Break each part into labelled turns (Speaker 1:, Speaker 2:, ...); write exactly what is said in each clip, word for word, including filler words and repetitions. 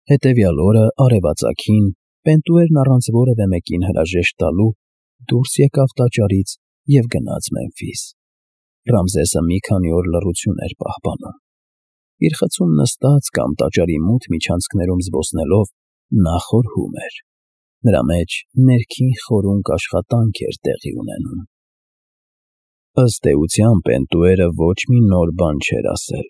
Speaker 1: Հետևյալ օրը արևածագին Պենտուերն առանց որևէ մեկին հրաժեշտ տալու դուրս եկավ տաճարից և գնաց Մեմֆիս։ Ռամզեսը մի քանի օր լռություն էր պահպանում։ Իր խցում նստած կամ տաճարի մութ միջանցքներում զբոսնելով նա խորհում էր։ Նրա մեջ ներքին խորունկ աշխատանք էր տեղի ունենում։ Ըստ էության Պենտուերը ոչ մի նոր բան չէր ասել։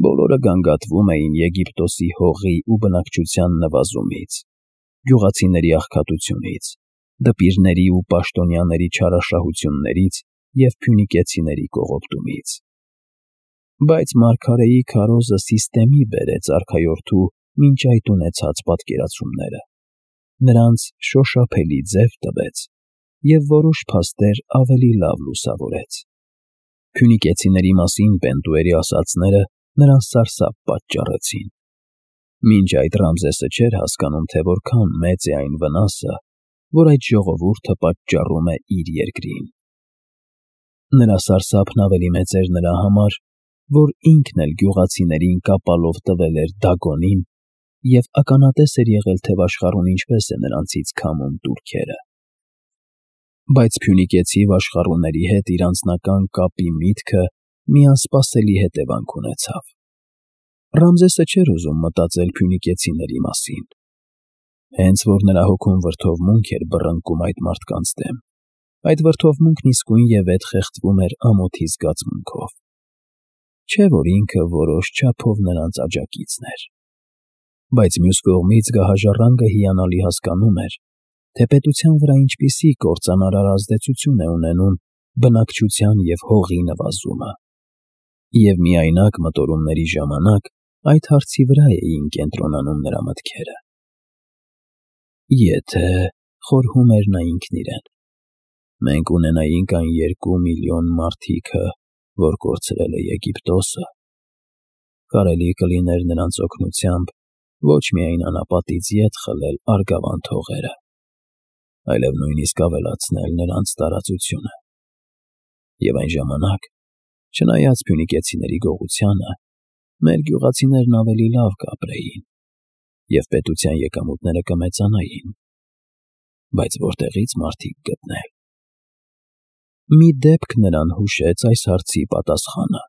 Speaker 1: Բոլորը գանգատվում էին Եգիպտոսի հողի ու բնակչության նվազումից, գյուղացիների աղքատությունից, դպիրների ու պաշտոնյաների չարաշահություններից և փյունիկեցիների կողոպտումից։ Բայց մարգարեի քարոզը Սիսթեմի բերեց արքայորդու մինչ այդ ունեցած պատկերացումները, նրանց շոշափելի ձև տվեց և որոշ փաստեր ավելի լավ լուսավորեց։ Փյունիկեցիների մասին Պենտուերի ասածները նրան սարսափ պատճառեցին։ Մինչ այդ Ռամզեսը չէր հասկանում, թե որքան մեծ է այն վնասը, որ այդ ժողովուրդը պատճառում է իր երկրին։ Նրա սարսափն ավելի մեծ էր նրա համար, որ ինքն էլ գյուղացիներին կապալով տվել էր Դագոնին և ականատես էր եղել թևաշխարհուն ինչպես է նրանցից քամում տուրքերը։ Բայց փյունիկեցի վաշխառուների հետ իր անձնական կապի միտքը մի անսպասելի հետևանք ունեցավ։ Ռամզեսը չէր ուզում մտածել փյունիկեցիների մասին։ Հենց որ նրա հոգում վրդովմունք էր բռնկում այդ մարդկանց դեմ, այդ վրդովմունքն իսկույնևեթ խեղդվում էր ամոթի զգացմունքով։ Չէ՞ որ ինքը որոշ չափով նրանց աջակիցն էր։ Բայց մյուս կողմից գահաժառանգը հիանալի հասկանում էր, թե պետության վրա ինչպիսի կործանարար ազդեցություն է ունենում բնակչության և հողի նվազումը։ Եվ միայնակ մտորումների ժամանակ այդ հարցի վրա էին կենտրոնանում նրա մտքերը։ Եթե, խորհում էր նա ինքն իրեն, մենք ունենայինք այն երկու միլիոն մարդիկը, որ կորցրել է Եգիպտոսը, կարելի կլիներ նրանց օգնությամբ ոչ միայն անապատից ետ խլել Արգավանդ հողերը, այլև նույնիսկ ավելացնել նրանց տարածությունը։ Եվ այն ժամանակ, չնայած փյունիկեցիների գողությանը, մեր գյուղացիներն ավելի լավ կապրեին, և պետության եկամուտները կմեծանային։ Բայց որտեղի՞ց մարդիկ գտնել։ Մի դեպք նրան հուշեց այս հարցի պատասխանը։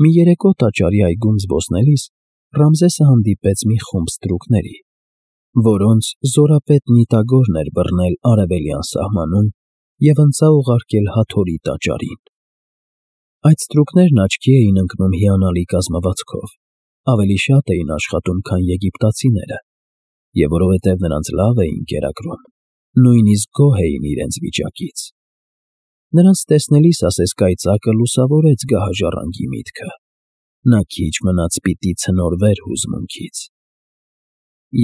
Speaker 1: Մի երեկո տաճարի այգում զբոսնելիս Ռամզեսը հանդիպեց մի խումբ ստրուկների, որոնց զորապետ Նիտագորն էր բռնել արևելյան սահմանում և ընծա ուղարկել Հաթորի տաճարին։ Այդ ստրուկներն աչքի էին ընկնում հիանալի կազմվածքով, ավելի շատ էին աշխատում, քան եգիպտացիները, և որովհետև նրանց լավ էին կերակրում, նույնիսկ գոհ էին իրենց վիճակից։ Նրանց տեսնելիս ասես կայծակը լուսավորեց գահաժառանգի միտքը։ Նա քիչ մնաց պիտի ցնորվեր հուզմունքից։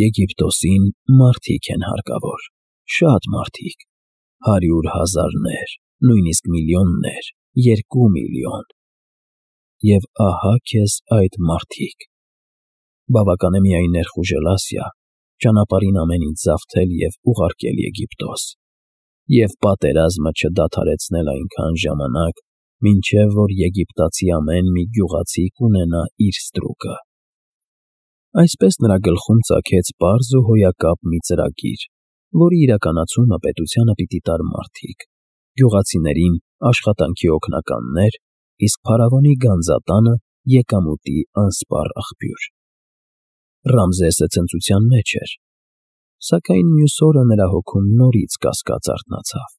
Speaker 1: Եգիպտոսին մարդիկ են հարկավոր, շատ մարդիկ, հարյուր հազարներ, նույնիսկ միլիոններ, երկու միլիոն։ Եվ ահա քեզ այդ մարդիկ։ Բավական է միայն ներխուժել Ասիա, ճանապարհին ամեն ինչ զավթել և ուղարկել Եգիպտոս, և պատերազմը չդադարեցնել այնքան ժամանակ, մինչև որ եգիպտացի ամեն մի գյուղացի կունենա իր ստրուկը։ Այսպես նրա գլխում ծագեց պարզ ու հոյակապ մի ծրագիր, որի իրականացումը պետությանը պիտի տար մարդիկ, գյուղացիներին աշխատանքի օգնականներ, իսկ փարավոնի գանձատանը եկամուտի անսպառ աղբյուր։ Ռամզեսը ցնծության մեջ էր, սակայն մյուս օրը նրա հոգում նորից կասկած արթնացավ։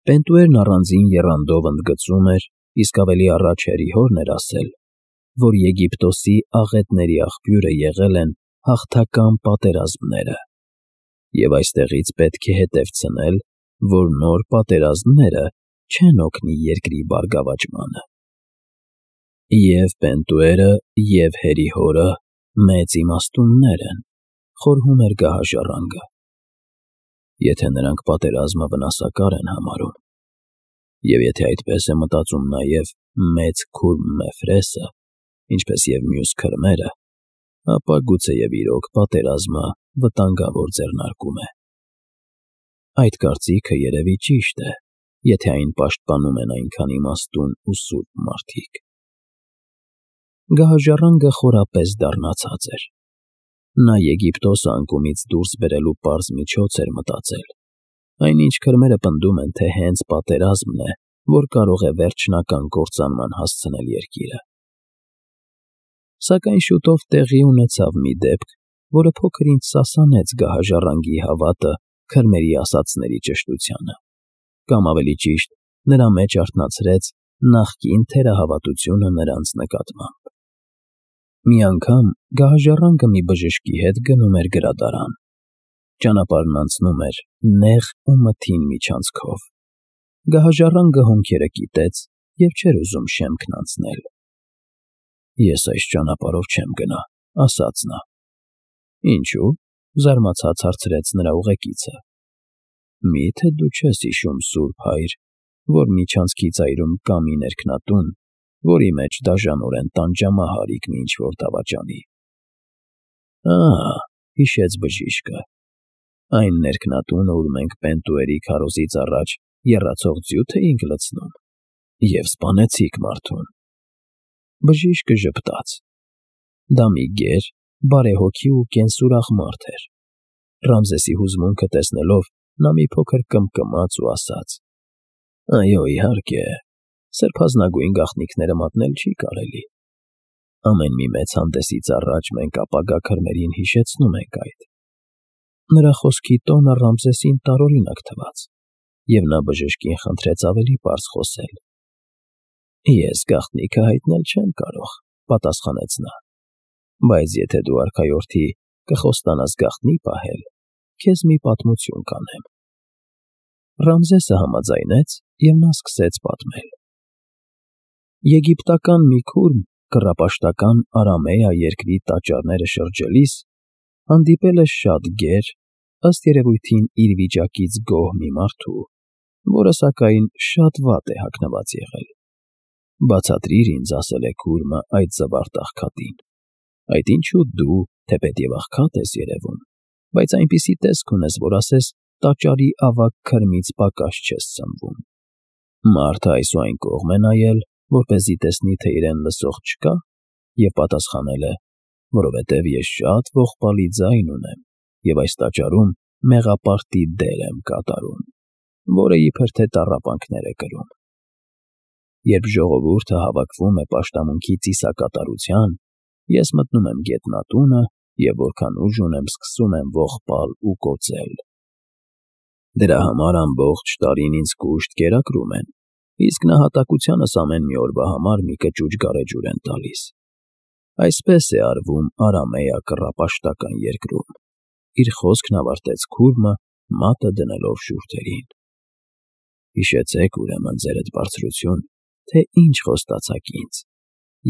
Speaker 1: Պենտուերն առանձին եռանդով ընդգծում էր, իսկ ավելի առաջ Հերիհորն էր ասել, որ Եգիպտոսի աղետների աղբյուրը եղել են հաղթական պատերազմները, և այստեղից պետք է հետևցնել, որ նոր պատերազմները չեն օգնի երկրի բարգավաճմանը։ Եվ Պենտուերը, և Հերիհորը մեծ իմաստուններ են, խորհում էր գահաժառանգը։ Եթե նրանք պատերազմը վնասակար են համարում, և եթե այդպես է մտածում նաև մեծ քուր Մефրեսը, ինչպես և մյուս քրմերը, ապա գուցեև իրոք պատերազմը վտանգավոր ձեռնարկում է։ Այդ կարծիքը երևի ճիշտ է, եթե այն պաշտպանում են այնքան իմաստուն ու սուրբ մարդիկ։ Գահաժառանգը խորապես դառնացած էր։ Նա Եգիպտոսը անկումից դուրս բերելու պարզ միջոց էր մտածել, այնինչ քրմերը պնդում են, թե հենց պատերազմն է, որ կարող է վերջնական կործանման հասցնել երկիրը։ Սակայն շուտով տեղի ունեցավ մի դեպք, որը փոքր-ինչ սասանեց գահաժառանգի հավատը քրմերի ասածների ճշտությանը, կամ ավելի ճիշտ, նրա մեջ արթնացրեց նախկին թերահավատությունը նրանց նկատմամբ։ Մի անգամ գահաժառանգը մի բժշկի հետ գնում էր գրադարան։ Ճանապարհն անցնում էր նեղ ու մթին միջանցքով։ Գահաժառանգը հոնքերը կիտեց և չէր ուզում շեմքն անցնել։ «Ես այս ճանապարհով չեմ գնա», ասաց նա։ «Ինչու՞», զարմացած հարցրեց նրա ուղեկիցը։ «Մի՞թե դու չես հիշում, Սուրբ Հայր, որ միջանցքի ծայրում կա մի ներքնատուն, որի մեջ դաժանորեն տանջամահ արի ինչ-որ դավաճանի»։ «Ահա», հիշեց բժիշկը, «այն ներքնատունը, ուր մենք Պենտուերի քարոզից առաջ եռացող ձյութ էինք լցնում, և սպանեցիք մարդուն»։ Բժիշկը ժպտաց։ Դա մի գեր, բարեհոգի ու կենսուրախ մարդ էր։ Ռամզեսի հուզմունքը տեսնելով, նա մի փոքր կմկմաց ու ասաց. «Այո, իհարկե, սրբազնագույն գաղտնիքները մատնել չի կարելի։ Ամեն մի մեծ հանդեսից առաջ մենք ապագա քրմերին հիշեցնում ենք այդ»։ Նրա խոսքի տոնը Ռամզեսին տարօրինակ թվաց, և նա բժշկին խնդրեց ավելի պարզ խոսել։ «Ես գաղտնիքը հայտնել չեմ կարող», պատասխանեց նա, «բայց եթե դու արքայորդի կխոստանաս գաղտնի պահել, քեզ մի պատմություն կանեմ»։ Ռամզեսը համաձայնեց, և նա սկսեց պատմել։ Եգիպտական մի քուրմ կռապաշտական Արամեա երկրի տաճարները շրջելիս հանդիպել է շատ գեր, ըստ երևույթին իր վիճակից գոհ մի մարդու, որը սակայն շատ վատ է հագնված եղել։ «Բացատրիր ինձ», ասել է քուրմը այդ զվարթ աղքատին, «այդ ինչու դու, թեպետ և աղքատ ես երևում, բայց այնպիսի տեսք ունես, որ ասես տաճարի ավագ քրմից պակաս չես սնվում»։ Մարդը այս ու այն կողմ է նայել, որպեսզի տեսնի, թե իրեն լսող չկա, և պատասխանել է. «Որովհետև ես շատ ողբալի ձայն ունեմ և այս տաճարում մեղապարտի դեր եմ կատարում, որը իբր թե տառապանքներ է կրում։ Երբ ժողովուրդը հավաքվում է պաշտամունքի ծիսակատարության, ես մտնում եմ գետնատունը և որքան ուժ ունեմ, սկսում եմ ողբալ ու կոծել։ Դրա համար ամբողջ տարին ինձ կուշտ կերակրում են, իսկ նահատակությանս ամեն մի օրվա համար մի կճուճ գարեջուր են տալիս։ Այսպես է արվում Արամեա կռապաշտական երկրում»։ Իր խոսքն ավարտեց քուրմը, մատը դնելով շուրթերին։ «Հիշեցեք, ուրեմն, ձերդ բարձրություն, թե ինչ խոստացաք ինձ,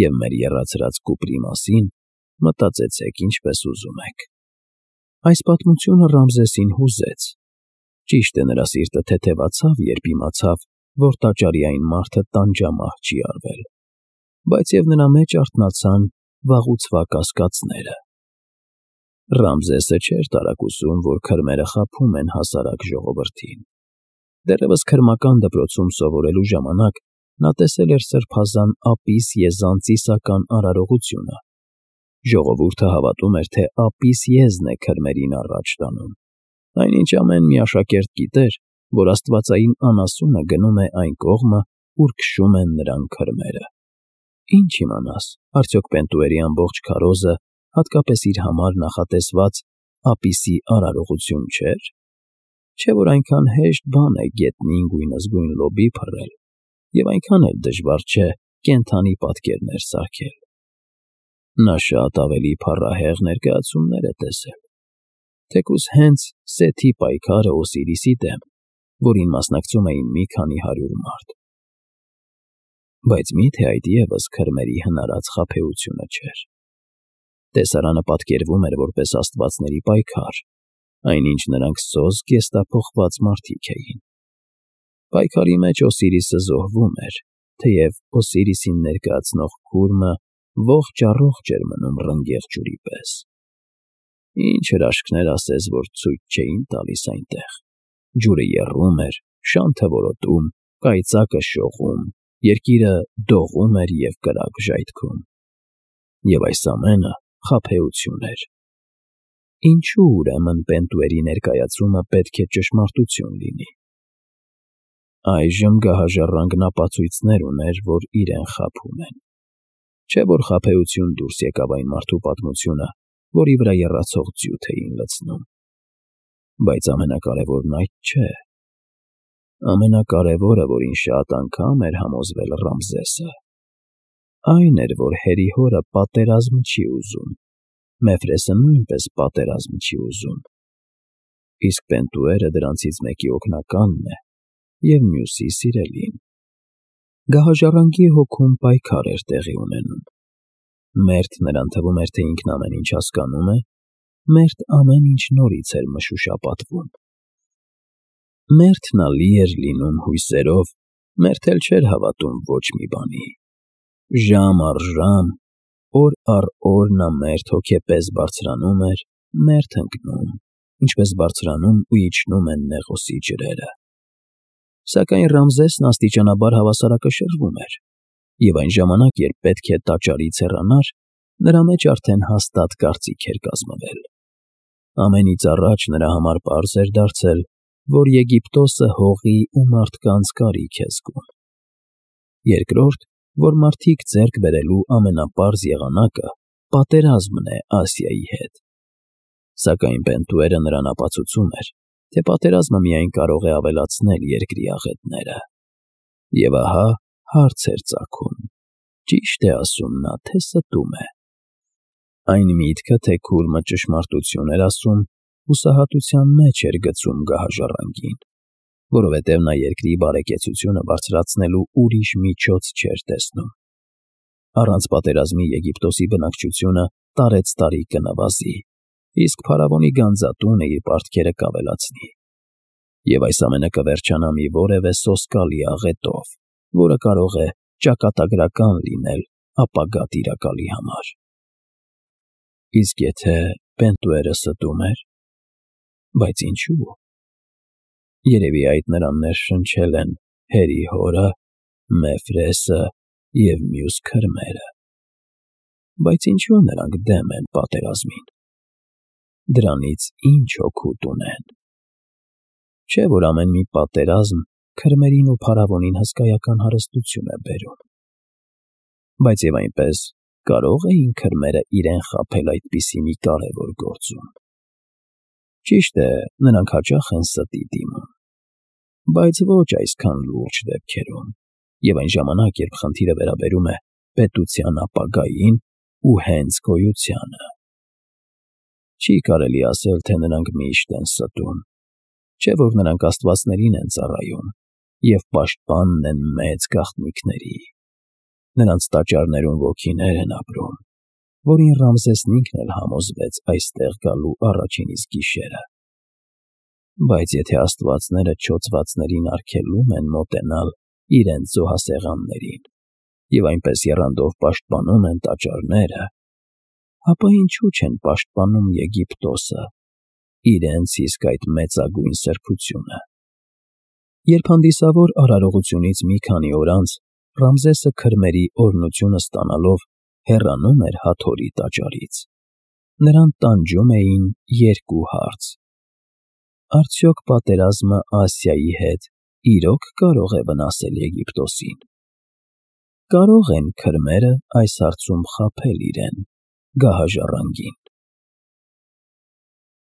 Speaker 1: և մեր եռացրած կուպրի մասին մտածեցեք ինչպես ուզում եք»։ Այս պատմությունը Ռամզեսին հուզեց։ Ճիշտ է, նրա սիրտը թեթևացավ, երբ իմացավ, որ տաճարի այն մարդը տանջամահ չի արվել, բայց և նրա մեջ արթնացան վաղուցվա կասկածները։ Ռամզեսը չէր տարակուսում, որ քրմերը խաբում են հասարակ ժողովրդին։ Դեռևս քրմական դպրոցում սովորելու ժամանակ նա տեսել էր սրբազան Ապիս եզան ծիսական արարողությունը։ Ժողովուրդը հավատում էր, թե Ապիս եզն է քրմերին առաջ տանում, այնինչ ամեն մի աշակերտ գիտեր, որ աստվածային անասունը գնում է այն կողմը, ուր քշում են նրան քրմերը։ Ինչ իմանաս, արդյոք Պենտուերի ամբողջ քարոզը հատկապես իր համար նախատեսված Ապիսի արարողություն չէր։ Չէ՞ որ այնքան հեշտ բան է գետնին գույնզգույն լոբի փռել, և այնքան էլ դժվար չէ կենդանի պատկերներ սարքել։ Նա շատ ավելի փառահեղ ներկայացումներ է տեսել, թեկուզ հենց Սեթի պայքարը Օսիրիսի դեմ, որին մասնակցում էին մի քանի հարյուր մարդ։ Բայց մի՞թե այդ ևս քրմերի հնարած խաբեությունը չէր։ Տեսարանը պատկերվում էր որպես աստվածների պայքար, այնինչ նրանք սոսկ եստափոխված մարդիկ էին։ Պայքարի մեջ Օսիրիսը զոհվում էր, թեև Օսիրիսին ներկայացնող քուրմը ողջ֊առողջ էր մնում ռնգեղ ջուրի պես։ Ինչ հրաշքներ ասես, որ ցույց չէին տալիս այնտեղ։ Ջուրը եռում էր, շանթը որոտում, կայծակը շողում, երկիրը դողում էր և կրակ ժայթքում։ Եվ այս ամենը խաբեություն էր։ Ինչու ուրեմն Պենտուերի ներկայացումը պետք է ճշմարտություն լինի։ Այժմ գահաժառանգն ապացույցներ ուներ, որ իրեն խաբում են։ Չէ՞ որ խաբեություն դուրս եկավ այն մարդու պատմությունը, որի վրա եռացող ձյութ էին լցնում։ Բայց ամենակարևորն այդ չէ։ Ամենակարևորը, որին շատ անգամ էր համոզվել Ռամզեսը, այն էր, որ հերի հորը պատերազմ չի ուզում, Մեֆրեսը նույնպես պատերազմ չի ուզում, իսկ Պենտուերը դրանցից մեկի օգնականն է և մյուսի սիրելին։ Գահաժառանգի հոգում պայքար էր տեղի ունենում։ Մերթ նրան թվում էր, թե ինքն ամեն ինչ հասկանում է, մերթ ամեն ինչ նորից էր մշուշապատվում։ Մերթ նա լի էր լինում հույսերով, մերթ էլ չէր հավատում ոչ մի բանի։ Ժամ առ ժամ, օր առ օր նա մերթ հոգեպես բարձրանում էր, մերթ ընկնում, ինչպես բարձրանում ու իջնում են Նեղոսի ջրերը։ Սակայն Ռամզեսն աստիճանաբար հավասարակշռվում էր, և այն ժամանակ, երբ պետք է տաճարից հեռանար, նրա մեջ արդեն հաստատ կարծիք էր կազմվել։ Ամենից առաջ նրա համար պարզ էր դարձել, որ Եգիպտոսը հողի ու մարդկանց կարիք է զգում։ Երկրորդ, որ մարդիկ ձեռք բերելու ամենապարզ եղանակը պատերազմն է Ասիայի հետ։ Սակայն Պենտուերը նրան ապացուցում էր, թե պատերազմը միայն կարող է ավելացնել երկրի աղետները։ Եվ ահա հարց էր ծագում. ճիշտ է ասում նա, թե ստում է։ Այն միտքը, թե Քուրմը ճշմարտություն էր ասում, հուսահատության մեջ էր գցում գահաժառանգին, որովհետև նա երկրի բարեկեցությունը բարձրացնելու ուրիշ միջոց չէր տեսնում։ Առանց պատերազմի Եգիպտոսի բնակչությունը տարեցտարի կնվազի, իսկ փարավոնի գանձատունը իր պարտքերը կավելացնի։ Եվ այս ամենը կվերջանա մի որևէ սոսկալի աղետով, որը կարող է ճակատագրական լինել ապագա տիրակալի համար։ Իսկ եթե Պենտուերը ստում էր, բայց ինչու՞։ Երևի այդ նրան ներշնչել են հերի հորը, Մեֆրեսը և մյուս քրմերը։ Բայց ինչու նրանք դեմ են պատերազմին։ Դրանից ի՞նչ օգուտ ունեն։ Չէ՞ որ ամեն մի պատերազմ քրմերին ու փարավոնին հսկայական հարստություն է բերում։ Բայց և այնպես կարո՞ղ էին քրմերը իրեն խաբել այդպիսի մի կարևոր գործում։ Ճիշտ է, նրանք հաճախ են ստի դիմում, բայց ոչ այսքան լուրջ դեպքերում, և այն ժամանակ, երբ խնդիրը վերաբերում է պետության ապագային ու հենց գոյությանը։ Չի կարելի ասել, թե նրանք միշտ են ստում, չէ՞ որ նրանք աստվածներին են ծառայում և պաշտպանն են մեծ գաղտնիքների։ Նրանց տաճարներում ոգիներ են ապրում, որին Ռամզեսն ինքն էլ համոզվեց այստեղ գալու առաջին իսկ գիշերը։ Բայց եթե աստվածները չոծվածներին արգելում են մոտենալ իրենց զոհասեղաններին և այնպես եռանդով պաշտպանում են տաճարները, ապա ինչու չեն պաշտպանում Եգիպտոսը, իրենց իսկ այդ մեծագույն սրբությունը։ Երբ հանդիսավոր արարողությունից մի քանի օր անց Ռամզեսը քրմերի օրհնությունը ստանալով հեռանում էր Հաթորի տաճարից, նրան տանջում էին երկու հարց. արդյոք պատերազմը Ասիայի հետ իրոք կարող է վնասել Եգիպտոսին։ Կարո՞ղ են քրմերը այս հարցում խաբել իրեն՝ գահաժառանգին։